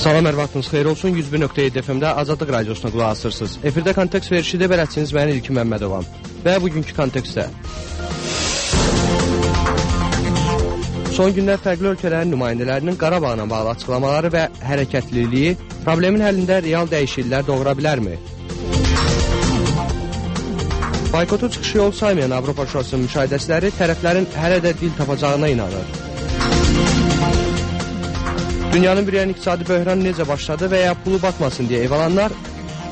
Salam, hər vaxtınız xeyir olsun. 101.7 FM-də Azadlıq Radiosuna qulaq asırsınız. Efirdə kontekst verişidə bələdçiniz mən İlkin Məmmədovam. Və bugünkü kontekstdə son günlər fərqli ölkələrin nümayəndələrinin Qarabağla bağlı açıqlamaları və hərəkətliliyi problemin həllində real dəyişikliklər doğura bilərmi? Boykotu çıxışı yol saymayan Avropa Şurasının müşahidəçiləri tərəflərin hələ də dil tapacağına inanır. Dünyanın bir yan iqtisadi böhran necə başladı və ya pulu batmasın deyə ev alanlar,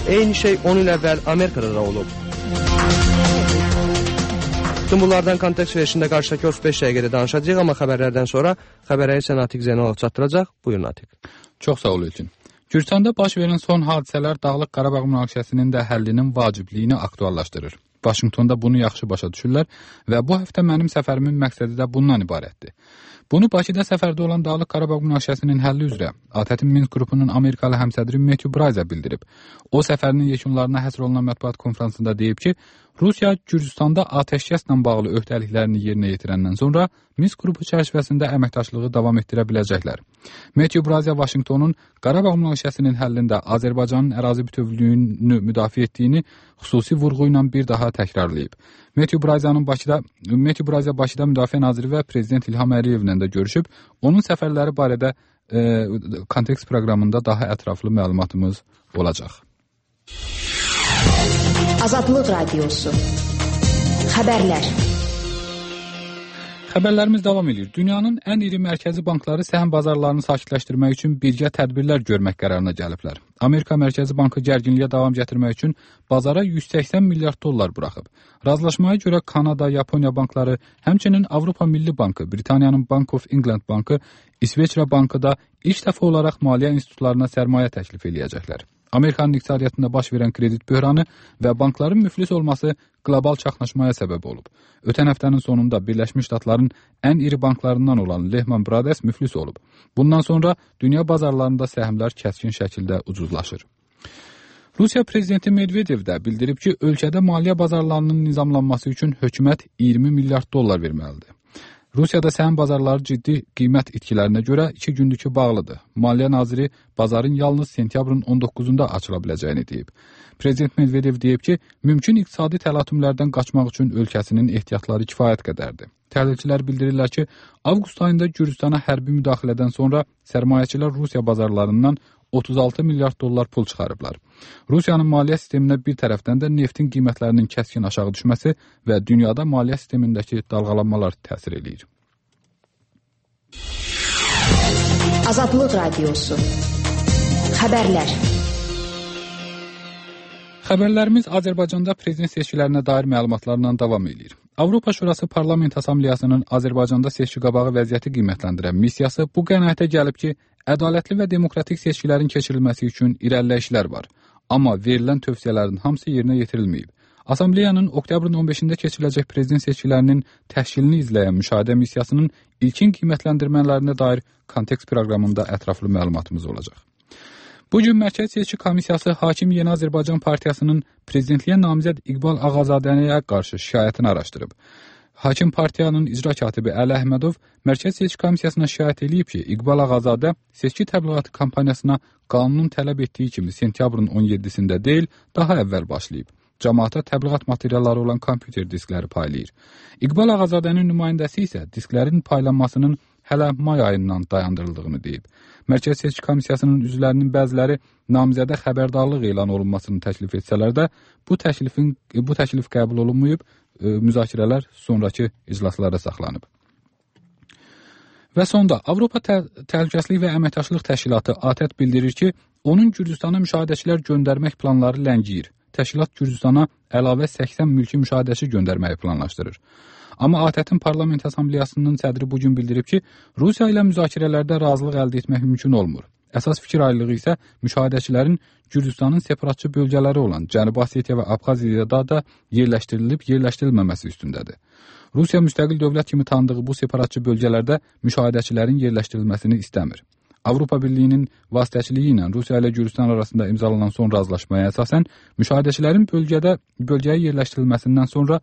eyni şey 10 il əvvəl Amerikada da olub. Bütün bunlardan kontekst verişində qarşıdakı 35 dəqiqədə danışacağıq, amma xəbərlərdən sonra xəbərəyi isə Natiq Zeynalov çatdıracaq. Buyurun Natiq. Çox sağ ol İlkin. Gürcüstanda baş verən son hadisələr Dağlıq Qarabağ münaqişəsinin də həllinin vacibliyini aktuallaşdırır. Vaşinqtonda bunu yaxşı başa düşürlər və bu həftə mənim səfərimin məqsədi də bundan ibarətdir. Bunu Bakıda səfərdə olan Dağlıq Qarabağ münaqişəsinin həlli üzrə ATƏT-in Minsk qrupunun Amerikalı həmsədri Matthew Bryza bildirib. O səfərinin yekunlarına həsr olunan mətbuat konfransında deyib ki, Rusiya Gürcüstanda atəşkəslə bağlı öhdəliklərini yerinə yetirəndən sonra Minsk qrupu çərçivəsində əməkdaşlığı davam etdirə biləcəklər. Matthew Bryza Vaşinqtonun Qarabağ münaqişəsinin həllində Azərbaycanın ərazi bütövlüyünü müdafiə etdiyini xüsusi vurğu ilə bir daha təkrarlayıb. Matthew Bryza Bakıda Müdafiə Naziri və Prezident İlham Əliyevlə də görüşüb, onun səfərləri barədə kontekst proqramında daha ətraflı məlumatımız olacaq. Azadlıq Radiosu. Xəbərlər. Xəbərlərimiz davam edir. Dünyanın ən iri mərkəzi bankları səhəm bazarlarını sakitləşdirmək üçün birgə tədbirlər görmək qərarına gəliblər. Amerika Mərkəzi Bankı gərginliyə davam gətirmək üçün bazara 180 milyard dollar buraxıb. Razılaşmaya görə Kanada, Yaponiya bankları, həmçinin Avropa Milli Bankı, Britaniyanın Bank of England Bankı, İsveçrə Bankı da ilk dəfə olaraq maliyyə institutlarına sərmayə təklif eləyəcəklər. Amerikanın iqtisadiyyatında baş verən kredit böhranı və bankların müflis olması qlobal çaxnaşmaya səbəb olub. Ötən həftənin sonunda Birləşmiş Ştatların ən iri banklarından olan Lehman Brothers müflis olub. Bundan sonra dünya bazarlarında səhmlər kəskin şəkildə ucuzlaşır. Rusiya prezidenti Medvedev də bildirib ki, ölkədə maliyyə bazarlarının nizamlanması üçün hökumət 20 milyard dollar verməlidir. Rusiyada səhəm bazarları ciddi qiymət itkilərinə görə 2 gündür ki bağlıdır. Maliyyə naziri bazarın yalnız sentyabrın 19-da açıla biləcəyini deyib. Prezident Medvedev deyib ki, mümkün iqtisadi təlatümlərdən qaçmaq üçün ölkəsinin ehtiyatları kifayət qədərdir. Təhlilçilər bildirirlər ki, avqust ayında Gürcüstana hərbi müdaxilədən sonra sərmayəçilər Rusiya bazarlarından 36 milyard dollar pul çıxarıblar. Rusiyanın maliyyə sisteminə bir tərəfdən də neftin qiymətlərinin kəskin aşağı düşməsi və dünyada maliyyə sistemindəki dalğalanmalar təsir eləyir. Azadlıq Radiosu. Xəbərlər. Xəbərlərimiz Azərbaycanda prezident seçkilərinə dair məlumatlarla davam edir. Avropa Şurası Parlament Assambleyasının Azərbaycanda seçki qabağı vəziyyəti qiymətləndirən missiyası bu qənaətə gəlib ki, ədalətli və demokratik seçkilərin keçirilməsi üçün irəliləyişlər var. Amma verilən tövsiyələrin hamısı yerinə yetirilməyib. Assambleyanın oktyabrın 15-də keçiriləcək prezident seçkilərinin təşkilini izləyən müşahidə missiyasının ilkin qiymətləndirmələrinə dair kontekst proqramında ətraflı məlumatımız olacaq. Bugün Mərkəzi Seçki Komissiyası Hakim Yeni Azərbaycan Partiyasının prezidentliyə namizəd İqbal Ağazadəniyə qarşı şikayətini araşdırıb. Hakim partiyanın icra katibi Əli Əhmədov Mərkəzi Seçki Komissiyasına şikayət edib ki, İqbal Ağazadə seçki təbliğatı kampaniyasına qanunun tələb etdiyi kimi sentyabrın 17-sində deyil, daha əvvəl başlayıb. Cəmaata təbliğat materialları olan kompüter diskləri paylayır. İqbal Ağazadənin nümayəndəsi isə disklərin paylanmasının hələ may ayından dayandırıldığını deyib. Mərkəzi Seçki Komissiyasının üzvlərinin bəziləri namizədə xəbərdarlıq elan olunmasını təklif etsələr də bu təklif qəbul olunmayıb, müzakirələr sonraki iclaslara saxlanıb. Və sonda Avropa Təhlükəsizlik və Əməkdaşlıq Təşkilatı ATƏT bildirir ki, onun Gürcüstana müşahidəçilər göndərmək planları ləngiyir. Təşkilat Gürcüstana əlavə 80 mülki müşahidəçi göndərməyi planlaşdırır. Amma ATƏT-in Parlament Assambleyasının sədri bugün bildirib ki, Rusiya ilə müzakirələrdə razılıq əldə etmək mümkün olmur. Əsas fikir ayrılığı isə müşahidəçilərin Gürcüstanın separatçı bölgələri olan Cənubi Osetiya və Abxaziyada da yerləşdirilib-yerləşdirilməməsi üstündədir. Rusiya müstəqil dövlət kimi tanıdığı bu separatçı bölgələrdə müşahidəçilərin yerləşdirilməsini istəmir. Avropa Birliyinin vasitəçiliyi ilə Rusiya ilə Gürcüstan arasında imzalanan son razılaşmaya əsasən müşahidəçilərin bölgəyə yerləşdirilməsindən sonra